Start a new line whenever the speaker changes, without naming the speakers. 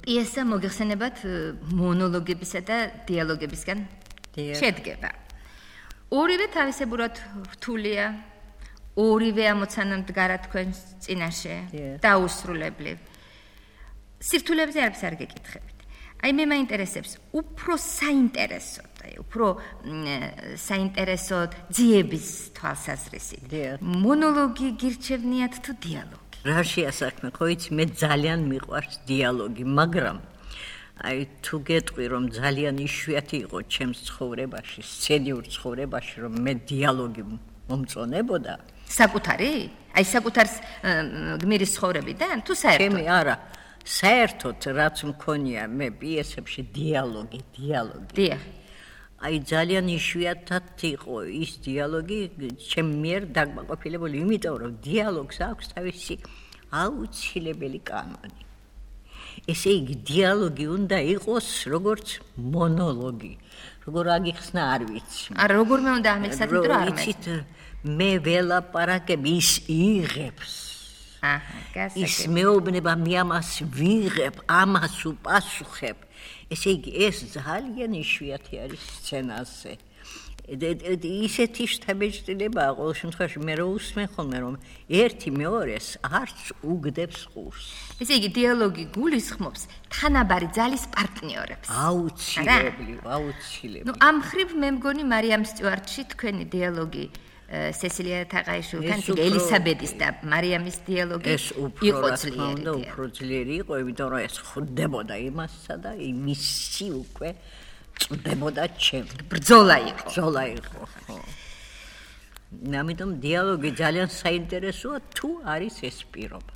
პიესა მოგეხსენებათ მონოლოგებისა და დიალოგებისგან შედგება. ორივე თავისებურად რთულია, ორივე ამოცანა მდგარა თქვენს წინაშე, დაუსრულებლი. სირთულეებზე არაფერს არ გეკითხებით. აი მე მაინტერესებს უფრო საინტერესოდ, უფრო საინტერესოდ ძიების თვალსაზრისით. მონოლოგი გირჩევნიათ თუ დიალოგი?
რა შეასაქმე, ხო იცი, მე ძალიან მიყვარს დიალოგი, მაგრამ აი თუ გეტყვი რომ ძალიან იშვიათი იყო ჩემს ცხოვრებაში, სცენიურ ცხოვრებაში, რომ მე დიალოგი მომწონებოდა.
საკუთარი? აი საკუთარ გმირის ცხოვრებიდან თუ საერთოდ?
ჩემი არა. საერთოდ რაც მქონია მე პიესებში დიალოგი.
დიახ.
აი ძალიან იშვიათად იყო ის დიალოგი ჩემ მიერ დაკმაყოფილებული, იმიტომ რომ დიალოგს აქვს თავისი აუცილებელი კანონი. ესე იგი დიალოგი უნდა იყოს როგორც მონოლოგი. როგორ აგიხსნა არ ვიცი.
არა როგორმე უნდა ამეცად იმიტომ არ
ვიცით მე ველაპარაკებ ის იღებს. ის მეუბნება მე ამას ვიღებ, ამას უპასუხებ. ესე იგი ეს ძალიან იშვიათი არის სცენაზე. ისეთი შთაბეჭდილებაა ყოველ შემთხვევაში მე რო უსმენ ხოლმე რომ ერთი მეორეს არც უგდებს ყურს.
ესე იგი დიალოგი გულისხმობს თანაბარი ძალის პარტნიორებს.
აუცილებლი.
ნუ ამ ხრივ მე მგონი მარიამ სტიუარტში თქვენი დიალოგი სესილია თაყაიშვილთან, ელისაბედის და მარიამის დიალოგი იყო ძლიერი.
უფრო ძლიერი იყო, იმიტომ რომ ეს ხვდებოდა იმასსა და იმისი უკვე წდებოდა ჩემ.
ბრძოლა იყო.
ხო. ამიტომ დიალოგი ძალიან საინტერესოა თუ არის ეს პირობა.